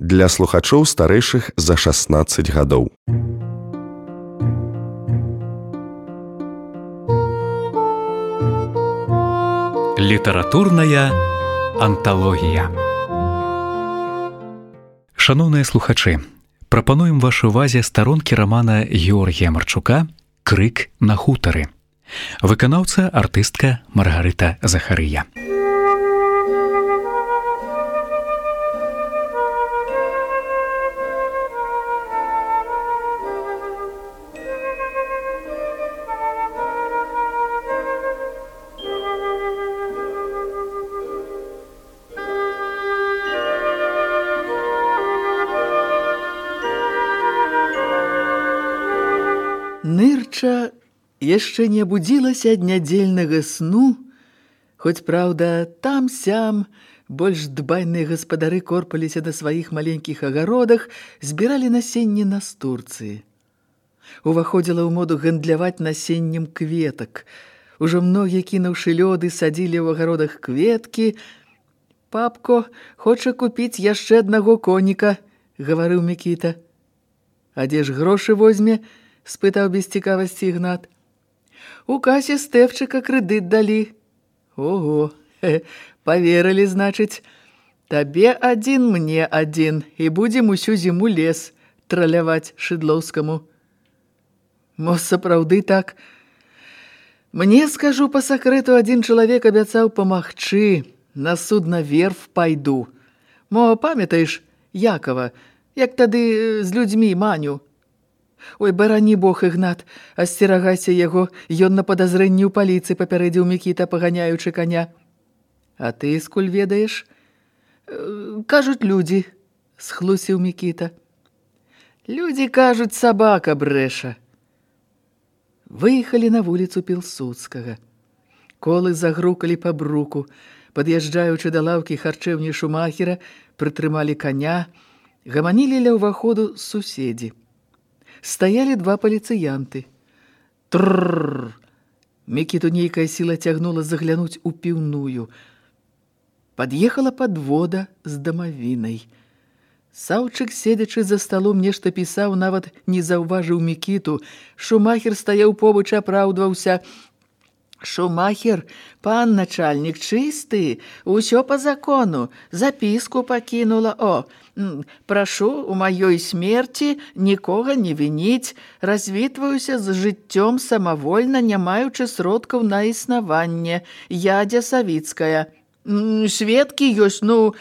для слухачоў старэйшых за 16 гадоў. Літаратурная анталогія. Шаноўныя слухачы, прапануем вашай увазе старонкі рамана Георгія Марчука «Крык на хутары». Выканаўца артыстка Маргарыта Захарыя. Нырча яшчэ не абудзілася ад нядзельнага сну, хоць, праўда, там-сям больш дбайныя гаспадары корпаліся на сваіх маленькіх агародах, збіралі насенне настурцыі. Уваходзіла ў моду гандляваць насеннем кветак. Ужо многія, кінуўшы лёды, садзілі ў агародах кветкі. «Папко хоча купіць яшчэ аднаго коніка», – гаварыў Мікіта. «А дзе ж грошы возьме?» – спытаў без цікавасці Ігнат. «У касе Стэфчыка крэдыт далі». «Ого, паверылі, значыць. Табе адзін, мне адзін, і будзем усю зіму лес траляваць Шыдлоўскаму». «Мо сапраўды так? Мне, скажу па сакрэту, адзін чалавек абяцаў памагчы, на судна верф пайду. Мо памятаеш Якова, як тады з людзьмі Маню?» «Ой, барані Бог, Ігнат, асцерагайся яго, ён на падазрэнні ў паліцыі», папярэдзіў Мікіта, паганяючы каня. «А ты скуль ведаеш?» «Кажуць людзі», – схлусіў Мікіта. «Людзі кажуць, сабака брэша». Выехалі на вуліцу Пілсудскага. Колы загрукалі па бруку. Пад'язджаючы да лаўкі харчэўні Шумахера, прытрымалі каня, гаманілі ля ўваходу суседзі. Стаялі два паліцыянты. Тррррр! Мікіту нейкая сіла цягнула заглянуць у піўную. Пад'ехала падвода з дамавінай. Саўчык, седзячы за сталом, нешта пісаў, нават не заўважыў Мікіту. Шумахер стаяў побач, апраўдваўся. «Шумахер, пан начальнік, чысты, усё па закону, запіску пакінула. О, прашу у маёй смерці нікога не вініць, развітваюся з жыццём самавольна, не маючы сродкаў на існаванне. Ядзя Савіцкая. Сведкі ёсць, ну...»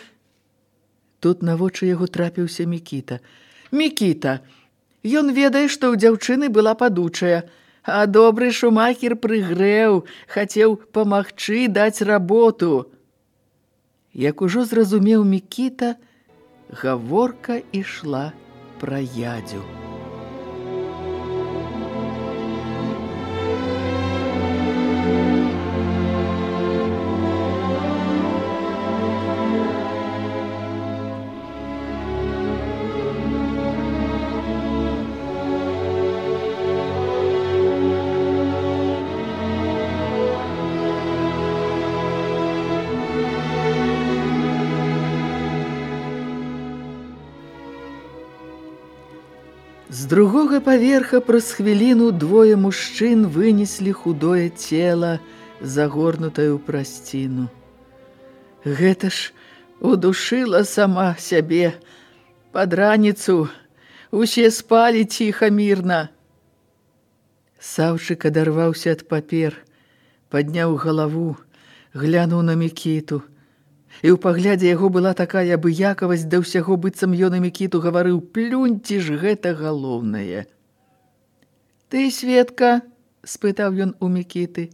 Тут на вочы яго трапіўся Мікіта. «Мікіта, ён ведае, што ў дзяўчыны была падучая. А добры Шумахер прыгрэў, хацеў памагчы, даць работу». Як ужо зразумеў Мікіта, гаворка ішла пра ядзю. З другога паверха праз хвіліну двое мужчын вынеслі худое цела, загорнутае ў прасціну. Гэта ж удушыла сама сябе. Пад раніцу усе спалі ціха, мірна. Саўчык адарваўся ад папер, падняў галаву, глянуў на Мікіту. І ў паглядзе яго была такая абыякавасць да ўсяго, быццам ён і Мікіту гаварыў: «Плюньце ж, гэта галоўнае». «Ты, Светка?» – спытаў ён у Мікіты.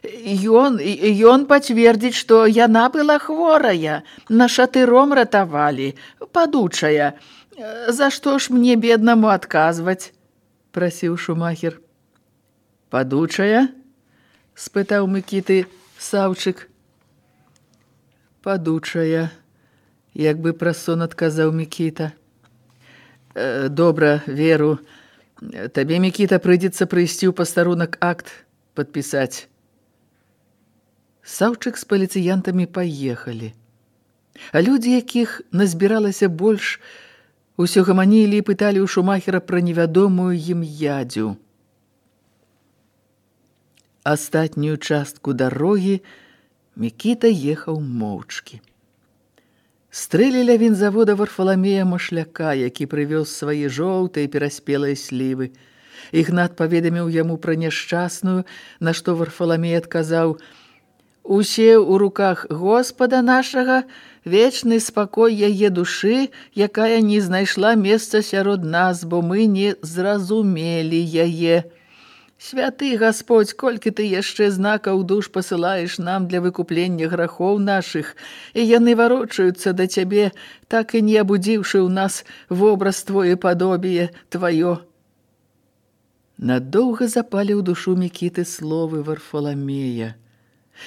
Ён пацвердзіць, што яна была хворая, на шатыром ратавалі, падучая. За што ж мне, беднаму, адказваць?» – прасіў Шумахер. «Падучая?» – спытаў Мікіты Саўчык. «Падучая», – як бы праз сон адказаў Мікіта. «Добра, веру. Табе, Мікіта, прыйдзецца прыйсці ў пастарунак акт падпісаць». Саўчык з паліцыянтамі паехалі. А людзі, якіх назбіралася больш, усё гаманілі і пыталі ў шумахера пра невядомую ім ядзю. Астатнюю частку дарогі Мікіта ехаў моўчкі. Стрэлі ля вінзавода Варфаламея Машляка, які прывёз свае жоўтыя пераспелыя слівы. Ігнат паведаміў яму пра няшчасную, на што Варфаламей адказаў: «Усе ў руках Господа нашага, вечны спакой яе душы, якая не знайшла месца сярод нас, бо мы не зразумелі яе. Святы Господь, колькі ты яшчэ знакаў душ пасылаеш нам для выкуплення грахоў нашых, і яны варочаюцца да цябе, так і не абудзіўшы ў нас вобраз твое падобие тваё». Надоўга запалі ў душу Мікіты словы Варфаламея.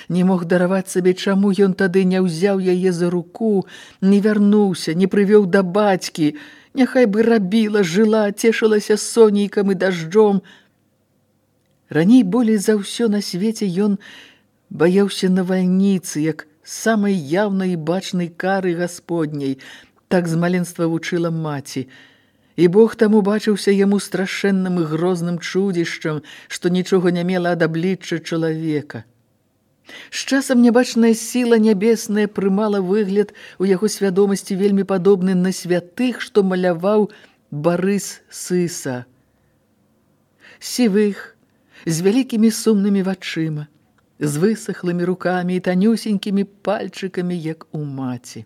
Не мог дараваць сабе, чаму ён тады не ўзяў яе за руку, не вярнуўся, не прывёў да бацькі, няхай бы рабіла, жыла, цешылася сонейкам і дажджом. Раней болей за ўсё на свеце ён баяўся навальніцы, як самай яўнай і бачнай кары Гасподняй, так з маленства вучыла маці. І Бог таму бачыўся яму страшэнным і грозным чудзішчам, што нічога не мела ад аблічча чалавека. З часам нябачная сіла нябесная прымала выгляд у яго свядомасці вельмі падобны на святых, што маляваў Барыс Сыса. Сівых, з вялікімі сумнымі вачыма, з высахлымі рукамі і танюсенькімі пальчыкамі, як у маці.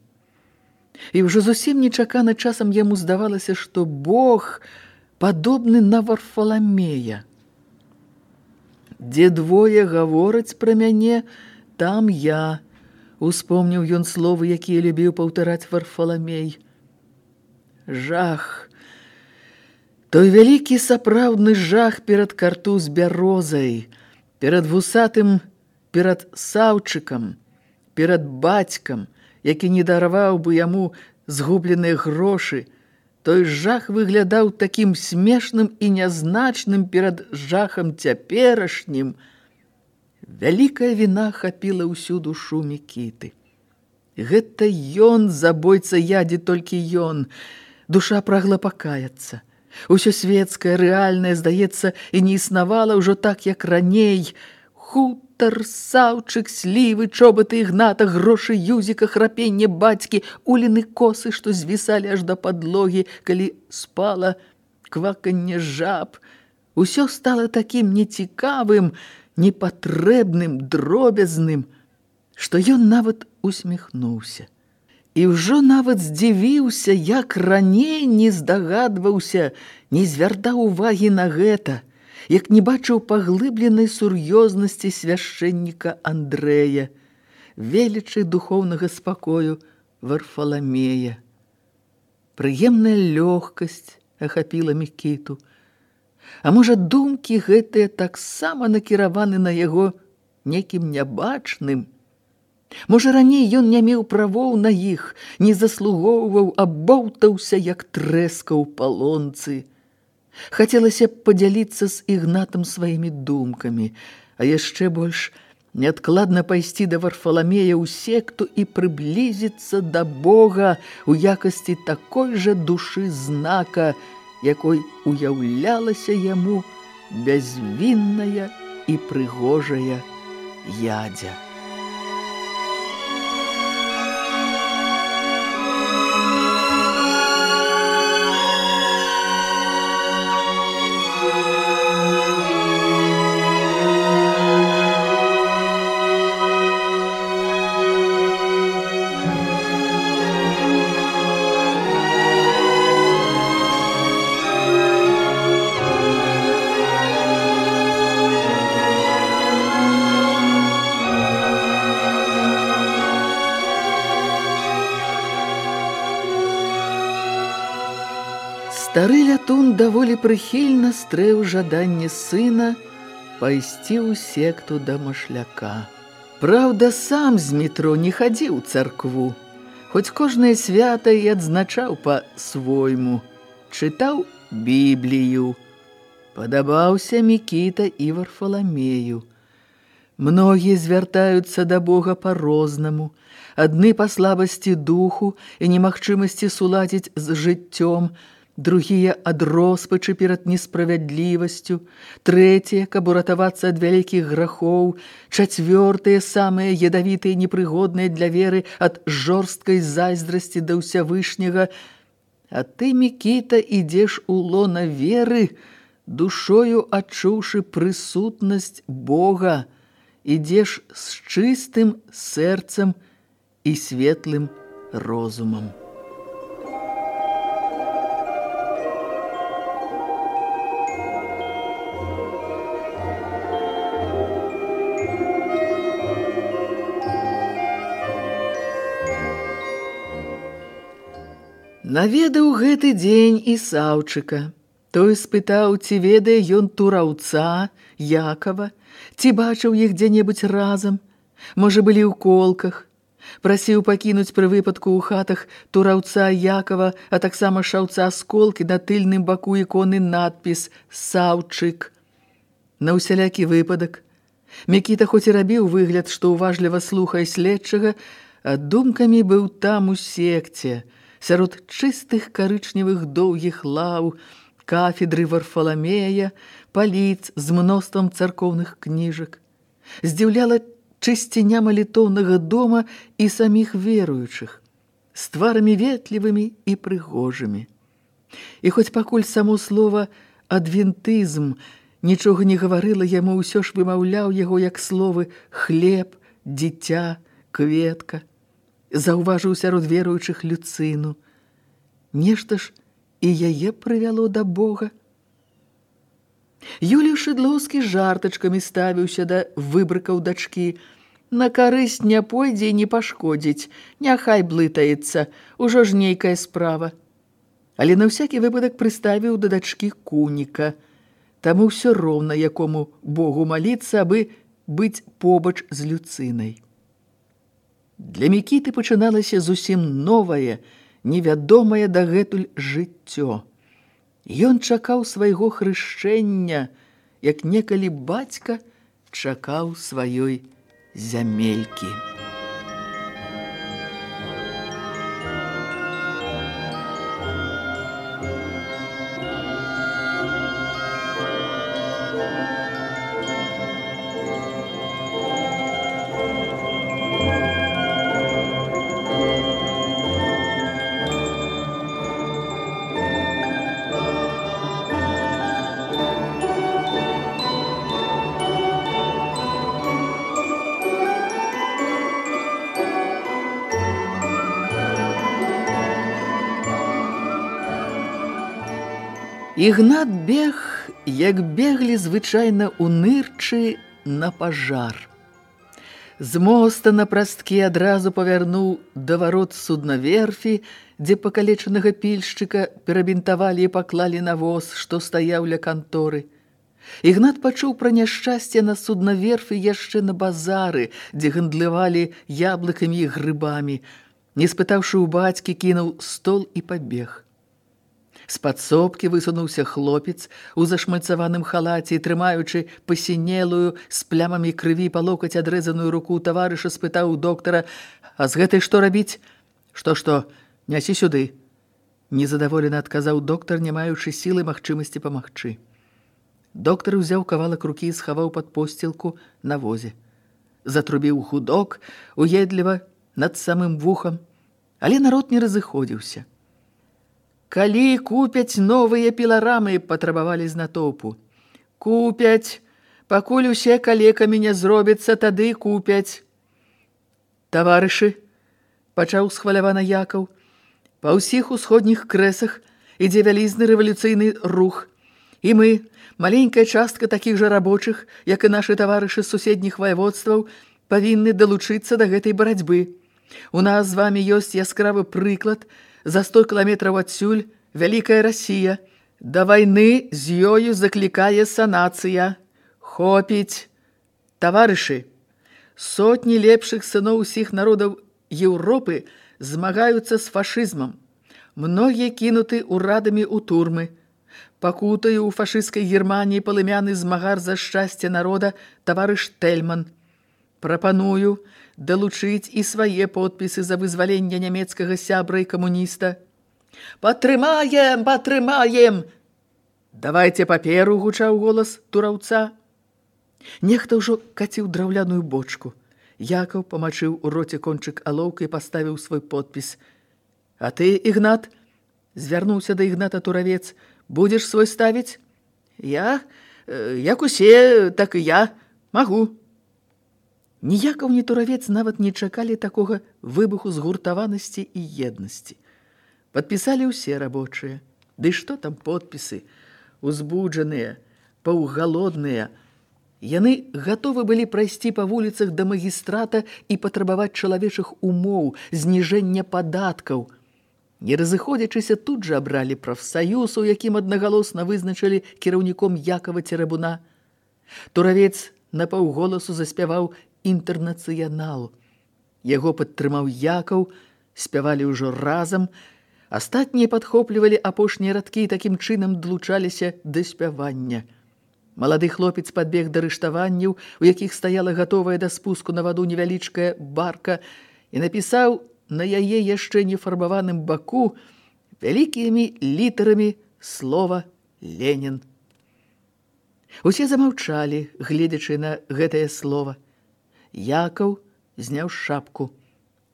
І ўжо зусім нечакана часам яму здавалася, што Бог падобны на Варфаламея. «Дзе двое гавораць пра мяне, там я», успомніў ён словы, якія любіў паўтараць Варфаламей. Жах, той вялікі сапраўдны жах перад картуз бярозай, перад вусатым, перад Саўчыкам, перад бацькам, які не дараваў бы яму згубленыя грошы, той жах выглядаў такім смешным і нязначным перад жахам цяперашнім. Вялікая віна хапіла ўсю душу Мікіты. Гэта ён, забойца ядзі, толькі ён. Душа прагла пакаяцца. Усё светскае, рэальнае, здаецца, і не існавала ўжо так, як раней. Хутар, Саўчык, слівы, чобаты Ігната, грошы Юзіка, храпенне бацькі, уліны косы, што звісалі аж да падлогі, калі спала, кваканне жаб. Усё стала такім нецікавым, непатрэбным, дробязным, што ён нават усміхнуўся. І ўжо нават здзівіўся, як раней не здагадваўся, не звяртаў увагі на гэта, як не бачыў паглыбленай сур'ёзнасці свяшчэнніка Андрэя, велічы духоўнага спакою Варфаламея. Прыемная лёгкасць ахапіла Мікіту. А можа, думкі гэтыя таксама накіраваны на яго некім нябачным? Можа, раней ён не меў правоў на іх, не заслугоўваў, а боўтаўся, як трэска ў палонцы. Хацелася падзяліцца з Ігнатам сваімі думкамі, а яшчэ больш неадкладна пайсці да Варфаламея ў секту і прыблізіцца да Бога ў якасці такой жа душы знака, якой уяўлялася яму бязвінная і прыгожая ядзя. Стары лятун даволі прыхільна стрэў жаданне сына пайсці ў секту да Машляка. Праўда, сам з метро не хадзіў у царкву, хоць кожнае свята і адзначаў па-свойму, чытаў Біблію. Падабаўся Мікіта і Варфаламею. Многія звяртаюцца да Бога па-рознаму. Адны па слабасці духу і немагчымасці суладзіць з жыццём, другія ад роспачы перад несправядлівасцю, трэція, каб уратавацца ад вялікіх грахоў, чацвёртыя, самыя ядавітыя і непрыгодныя для веры ад жорсткай зайздрасці да ўсявышняга. А ты, Мікіта, ідзеш у лона веры, душою адчуўшы прысутнасць Бога, ідзеш з чыстым сэрцам і светлым розумам. Наведаў гэты дзень і Саўчыка. Той спытаў, ці ведае ён тураўца, Якова, ці бачыў іх дзе-небудзь разам, можа, былі ў колках. Прасіў пакінуць пры выпадку ў хатах тураўца Якова, а таксама шаўца з колкі на тыльным баку іконы надпіс «Саўчык». На ўсялякі выпадак. Мікіта хоць і рабіў выгляд, што уважліва слухае следчага, а думкамі быў там у секце, сярод чыстых карычневых доўгіх лаў, кафедры Варфаламея, паліц з мноствам царкоўных кніжак. Здзіўляла чысціня малітоўнага дома і саміх веруючых, з тварамі ветлівымі і прыгожымі. І хоць пакуль само слова «адвентызм» нічога не гаварыла яму, ўсё ж вымаўляў яго як словы «хлеб», «дзіця», «кветка». Заўважыў сярод веруючых Люцыну. Нешта ж і яе прывяло да Бога. Юлій Шыдлоўскі жартачкамі ставіўся да выбрыкаў дачкі. На карысць не пойдзе і не пашкодзіць, няхай блытаецца, ужо ж нейкая справа. Але на ўсякі выпадак прыставіў да дачкі куніка. Таму ўсё роўна, якому Богу маліцца, абы быць побач з Люцынай. Для Мікіты пачыналася зусім новае, невядомае дагэтуль жыццё. Ён чакаў свайго хрышчэння, як некалі бацька чакаў сваёй зямелькі. Ігнат бег, як беглі звычайна ў нырчы на пажар. З моста на прасткі адразу павярнуў да варот суднаверфі, дзе пакалечанага пільшчыка перабінтавалі і паклалі на воз, што стаяў ля канторы. Ігнат пачуў пра няшчасце на суднаверфі яшчэ на базары, дзе гандлявалі яблыкамі і грыбамі. Не спытаўшы ў бацькі, кінуў стол і пабег. З падсобкі высунуўся хлопец у зашмальцаваным халаце і, трымаючы пасінелую з плямамі крыві па локаць адрэзаную руку таварыша, спытаў у доктара: «А з гэтай што рабіць?» «Што, нясі сюды», – незадаволена адказаў доктар, не маючы сілы магчымасці памагчы. Доктар узяў кавалак рукі і схаваў пад посцілку на возе. Затрубіў гудок уедліва над самым вухам, але народ не разыходзіўся. «Калі купяць новыя піларамы?» – патрабавалі з натоўпу. «Купяць, пакуль усе калекамі не зробяцца, тады купяць». «Таварышы», – пачаў схвалявана Якаў, – «па ўсіх усходніх крэсах ідзе вялізны рэвалюцыйны рух. І мы, маленькая частка такіх жа рабочых, як і нашы таварышы з суседніх ваяводстваў, павінны далучыцца да гэтай барацьбы. У нас з вамі ёсць яскравы прыклад. За 100 кіламетраў адсюль вялікая Расія. Да вайны з ёю заклікае санацыя. Хопіць. Таварышы, сотні лепшых сыноў усіх народаў Еўропы змагаюцца з фашызмам. Многія кінуты урадамі ў турмы. Пакутаю ў фашысцкай Германіі палымяны змагар за шчасце народа таварыш Тельман. Прапаную далучыць і свае подпісы за вызваленне нямецкага сябра і камуніста. Падтрымаем, падтрымаем! Давайце паперу, гучаў голас тураўца. Нехта ўжо каціў драўляную бочку. Якаў памачыў у роце кончык алоўка і паставіў свой подпіс. А ты, Ігнат, звярнуўся да Ігната туравец, будзеш свой ставіць? Я, як усе, так і я, магу. Ні Якаў, ні туравец нават не чакалі такога выбуху згуртаванасці і еднасці. Падпісалі ўсе рабочыя. Ды што там подпісы? Узбуджаныя, паўгалодныя. Яны гатовы былі прайсці па вуліцах да магістрата і патрабаваць чалавечых умоў, зніжэння падаткаў. Не разыходзячыся, тут жа абралі прафсаюз, у якім аднагалосна вызначылі кіраўніком Якава Церабуна. Туравец напаўголасу заспяваў «Інтэрнацыянал». Яго падтрымаў Якаў, спявалі ўжо разам. Астатнія падхоплівалі апошнія радкі і такім чынам далучаліся да спявання. Малады хлопец падбег да рыштаванняў, у якіх стаяла гатовая да спуску на ваду невялічкая барка, і напісаў на яе яшчэ нефарбаваным баку вялікімі літарамі слова «Ленін». Усе замаўчалі, гледзячы на гэтае слова. Якаў зняў шапку.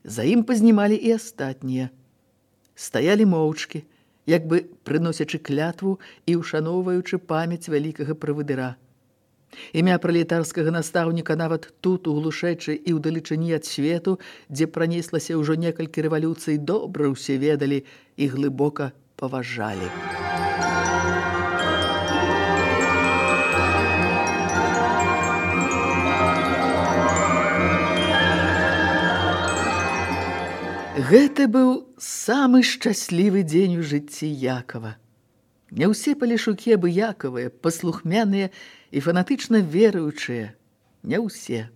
За ім пазнімалі і астатнія. Стаялі моўчкі, як бы прыносячы клятву і ушаноўваючы памяць вялікага правадыра. Імя пралетарскага настаўніка нават тут, у глушэчы і ўдалечыні ад свету, дзе пранеслася ўжо некалькі рэвалюцый, добра ўсе ведалі і глыбока паважалі. Гэта быў самы шчаслівы дзень у жыцці Якава. Не ўсе палешукі абыякавыя, паслухмяныя і фанатычна веруючыя. Не ўсе.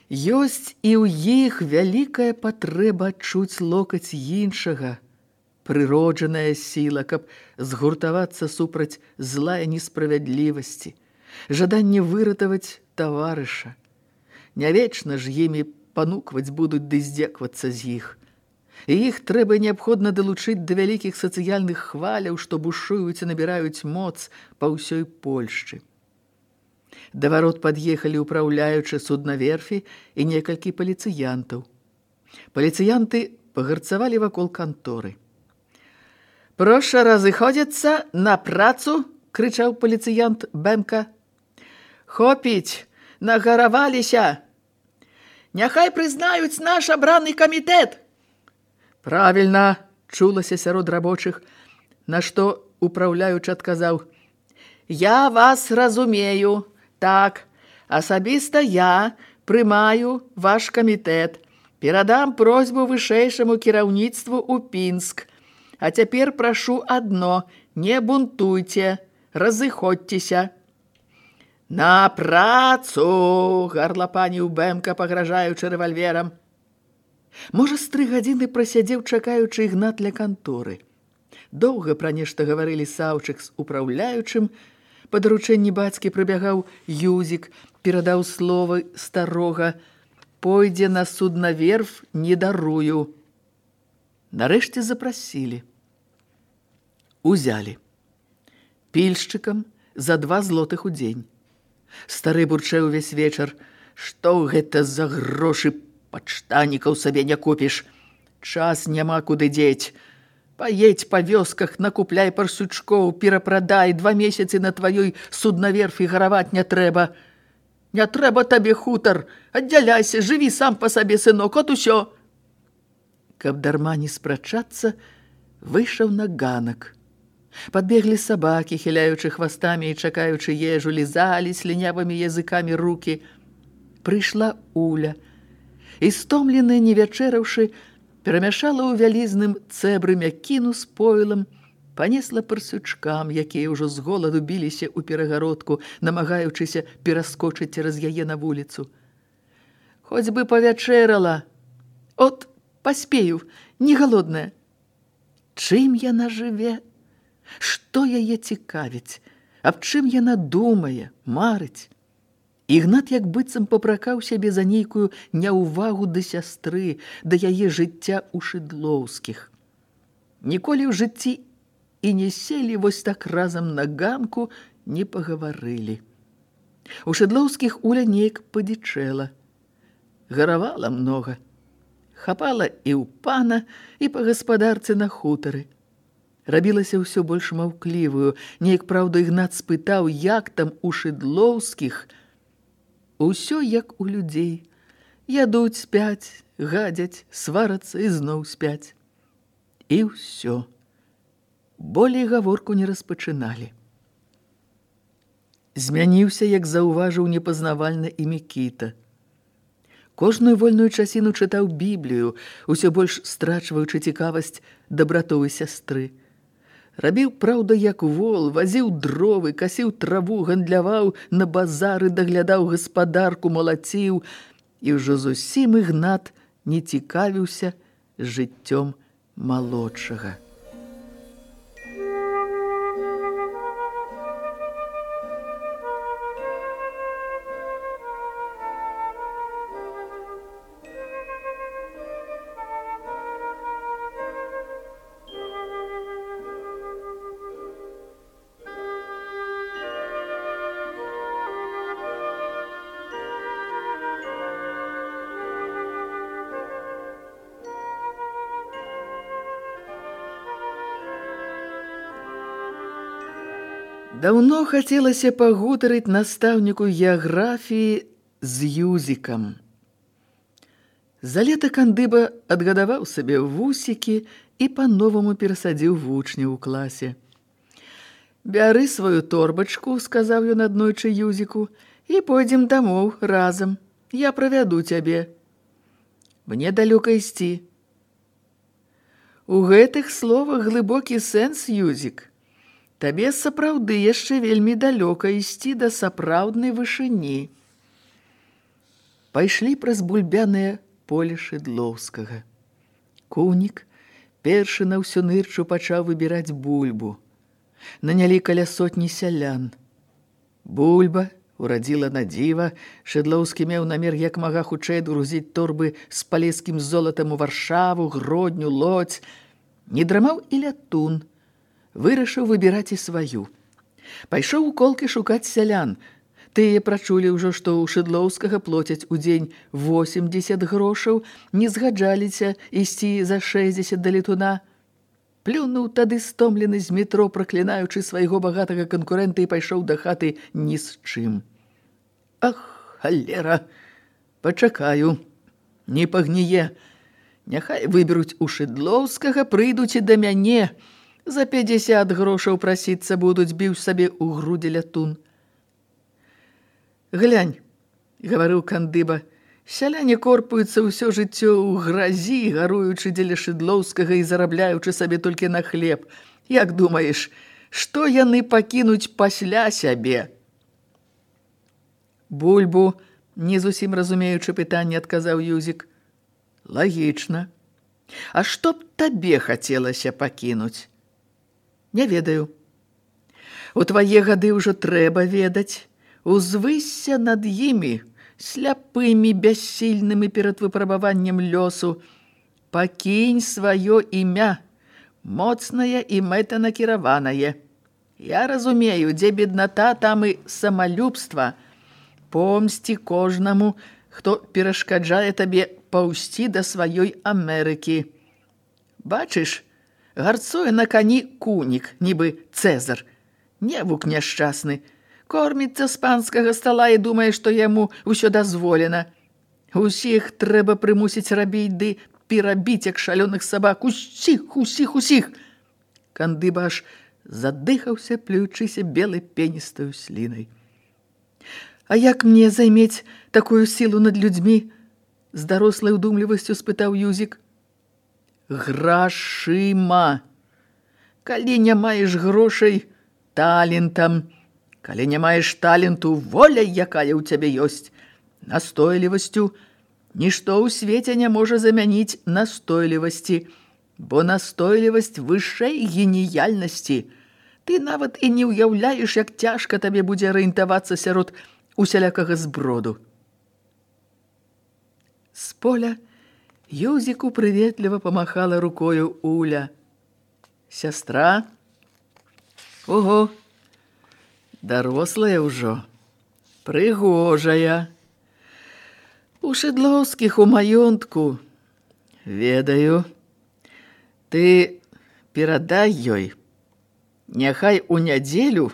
Ёсць і ў іх вялікая патрэба адчуць локаць іншага, прыроджаная сіла, каб згуртавацца супраць зла і несправядлівасці, жаданне выратаваць таварыша. Не вечна ж імі панукваць будуць ды здзеквацца з іх. І іх трэба неабходна далучыць да вялікіх сацыяльных хваляў, што бушуюць і набіраюць моц па ўсёй Польшчы. Да варот пад'ехалі ўпраўляючы суднаверфі і некалькі паліцыянтаў. Паліцыянты пагарцавалі вакол канторы. «Проша разыходзіцца на працу!» – крычаў паліцыянт Бэмка. «Хопіць, нагараваліся! Няхай прызнаюць наш абраны камітэт!» «Правільна!» – чулася сярод рабочых, на што ўпраўляючы адказаў. «Я вас разумею. Так, асабіста я прымаю ваш камітэт. Перадам просьбу вышэйшаму кіраўніцтву ў Пінск. А цяпер прашу адно, не бунтуйце, разыходзьцеся». «На працу!» – гарлапаніў Бэмка, пагражаючы рэвальверам. Можа, з 3 гадзіны прасядзеў, чакаючы Ігнат ля канторы. Доўга пра нешта гаварылі Саўчык з упраўляючым. Па даручэнні бацькі прыбягаў Юзік, перадаў словы старога. «Пойдзе на суднаверф, не дарую». Нарэшце запрасілі. Узялі. Пільшчыкам за 2 злотых у дзень. Стары бурчэў увесь вечар. «Што гэта за грошы? Падштанікаў сабе не купіш. Час няма куды дзець. Паедзь па вёсках, накупляй парсучкоў, перапрадай, 2 месяцы на тваёй суднаверфі гараваць не трэба. Не трэба табе хутар, аддзяляйся, жыві сам па сабе, сынок, от усё». Каб дарма не спрачацца, выйшаў на ганак. Падбеглі сабакі, хіляючы хвастамі і чакаючы ежу, лізалі слінявымі языкамі рукі. Прыйшла Уля. І, стомленая, не вячэраўшы, перамяшала ў вялізным цэбры мякіну з пойлам, панесла парсючкам, якія ўжо з голаду біліся ў перагародку, намагаючыся пераскочыць цераз яе на вуліцу. «Хоць бы павячэрала! От, паспею, не галодная!» Чым яна жыве? Што яе цікавіць? Аб чым яна думае, марыць? Ігнат як быццам папракаў сябе за нейкую няўвагу да сястры, да яе жыцця ў Шыдлоўскіх. Ніколі ў жыцці і не селі вось так разам на ганку, не пагаварылі. У Шыдлоўскіх Уля неяк падзічэла. Гаравала многа. Хапала і ў пана, і па гаспадарцы на хутары. Рабілася ўсё больш маўклівую. Неяк, праўда, Ігнат спытаў, як там у Шыдлоўскіх. Усё як у людзей. Ядуць, спяць, гадзяць, сварацца і зноў спяць. І ўсё. Болей гаворку не распачыналі. Змяніўся, як заўважыў непазнавальна і Мікіта. Кожную вольную часіну чытаў Біблію, усё больш страчваючы цікавасць дабратовай сястры. Рабіў, праўда, як вол, вазіў дровы, касіў траву, гандляваў на базары, даглядаў гаспадарку, малаціў, і ўжо зусім Ігнат не цікавіўся жыццём малодшага. Даўно хацелася пагутарыць настаўніку геаграфіі з Юзікам. За лета кандыба адгадаваў сабе вусікі і па-новаму перасадзіў вучняў у класе. «Бяры сваю торбачку», – сказаў ён аднойчы Юзіку, – «і пойдзем дамоў разам. Я правяду цябе. Мне далёка ісці». У гэтых словах глыбокі сэнс, Юзік. Табе сапраўды яшчэ вельмі далёка ісці да сапраўднай вышыні. Пайшлі праз бульбянае поле Шыдлоўскага. Кунік першы на ўсю нырчу пачаў выбіраць бульбу. Нанялі каля сотні сялян. Бульба урадзіла на дзіва. Шыдлоўскі меў намер як мага хутчэй грузіць торбы з палескім золатам у Варшаву, Гродню, Лодзь. Не драмаў і Лятун. Вырашыў выбіраць і сваю. Пайшоў у колкі шукаць сялян. Тыя прачулі ўжо, што ў Шыдлоўскага плоцяць у дзень 80 грошаў, не згаджаліся ісці за 60 да Летуна. Плюнуў тады стомлены з метро, праклінаючы свайго багатага канкурэнта, і пайшоў да хаты ні з чым. Ах, халера, пачакаю, не пагніе. Няхай выберуць у Шыдлоўскага, прыйдуць і да мяне. За 50 грошаў прасіцца будуць, біў сабе ў грудзі Лятун. «Глянь», – гаварыў кандыба, – «сяляне корпаюцца ўсё жыццё ў гразі, гаруючы дзеля Шыдлоўскага і зарабляючы сабе толькі на хлеб. Як думаеш, што яны пакінуць пасля сябе?» «Бульбу», не зусім разумеючы пытанне, адказаў Юзік. «Лагічна. А што б табе хацелася пакінуць?» «Не ведаю. У твае гады ўжо трэба ведаць. Узвысся над імі, сляпымі, бяссільнымі перад выпрабаваннем лёсу. Пакінь сваё імя, моцнае і мэтанакіраванае. Я разумею, дзе бедната, там і самалюбства. Помсці кожнаму, хто перашкаджае табе паўсці да сваёй Амерыкі. Бачыш, гарцуе на кані кунік, нібы Цэзар. Невук няшчасны. Корміцца з панскага стала і думае, што яму ўсё дазволена. Усіх трэба прымусіць рабіць ды перабіць, як шалёных сабак. Усіх. Кандыба аж задыхаўся, плюючыся белай пеністаю слінай. «А як мне займець такую сілу над людзьмі?» З дарослай удумлівасцю спытаў Юзік. «Грашыма. Калі не маеш грошай, талентам. Калі не маеш таленту, воляй, якая ў цябе ёсць. Настойлівасцю. Нішто ў свеце не можа замяніць настойлівасці, бо настойлівасць вышэй геніяльнасці. Ты нават і не ўяўляеш, як цяжка табе будзе арыентавацца сярод усялякага зброду. З поля Юзіку прыветліва памахала рукою Уля. Сястра? Ого, дарослая ўжо, прыгожая. У Шыдлоўскіх у маёнтку. Ведаю. Ты перадай ёй. Няхай у нядзелю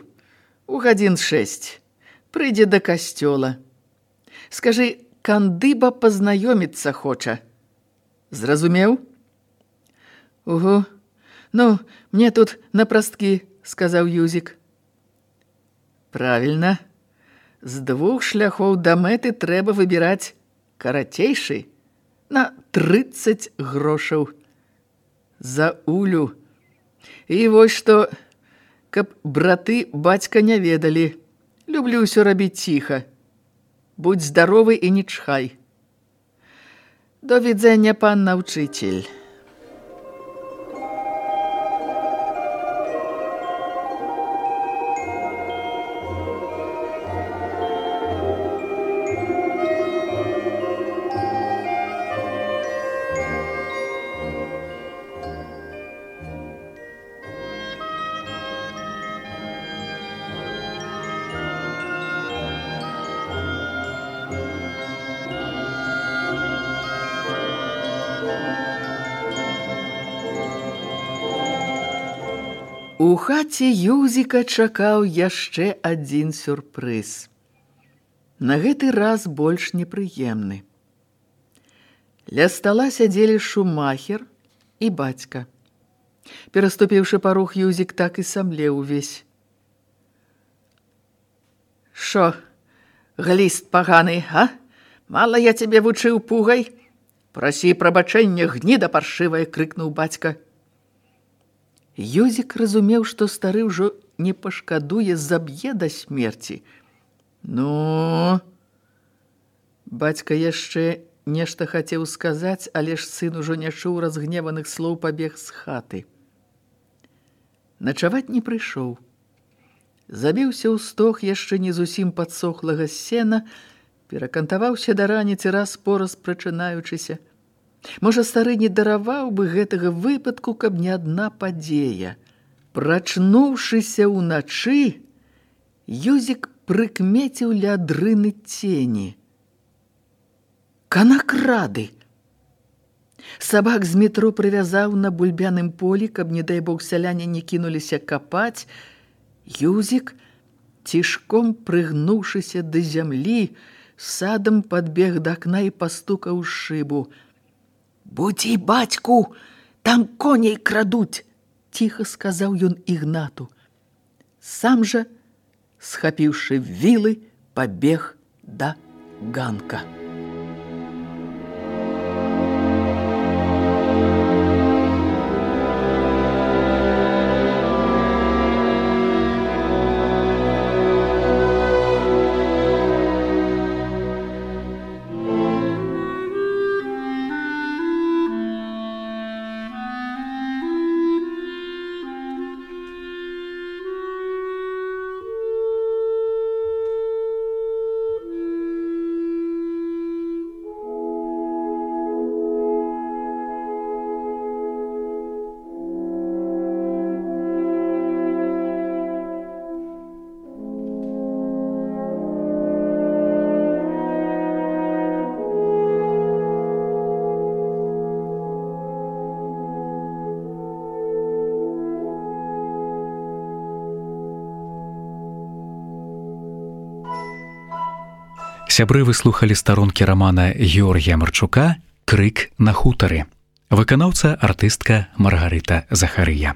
у гадзін 6 прыйдзе да касцёла. Скажы, кандыба пазнаёміцца хоча. Зразумеў? Угу. Ну, мне тут напрасткі, сказаў Юзік. Правільна. З 2 шляхоў да мэты трэба выбіраць карацейшы на 30 грошаў. За Улю. І вось што, каб браты бацька не ведалі. Люблю ўсё рабіць ціха. Будь здаровы і не чхай. До відзення, панна ўчыцель. У хаце Юзіка чакаў яшчэ адзін сюрпрыз. На гэты раз больш непрыемны. Ля стала сядзелі Шумахер і бацька. Пераступіўшы парог, Юзік так і самлеў увесь. Шо, гліст паганы, а? Мала я цябе вучыў пугай? Прасі прабачэння, гніда паршывая, крыкнуў бацька. Юзік разумеў, што стары ўжо не пашкадуе, заб'е да смерці. Ну, бацька яшчэ нешта хацеў сказаць, але ж сын ужо не чуў разгневаных слоў, пабег з хаты. Начаваць не прыйшоў. Забіўся ў стог яшчэ не зусім падсохлага сена, перакантаваўся да раніцы раз-пораз прачынаючыся. Можа, стары не дараваў бы гэтага выпадку, каб не адна падзея. Прачнуўшыся ўначы, Юзік прыкмеціў ля дрыны цені. Канакрады! Сабак з метро прывязаў на бульбяным полі, каб, не дай бог, сяляне не кінуліся капаць. Юзік, цішком прыгнуўшыся да зямлі, садам падбег да акна і пастукаў шыбу. «Будзі, бацьку, там коней крадуць!» – ціха сказаў ён Ігнату. Сам жа, схапіўшы вілы, пабег да ганка. Сябры, вы слухалі старонкі рамана Георгія Марчука «Крык на хутары». Выканаўца артыстка Маргарыта Захарыя.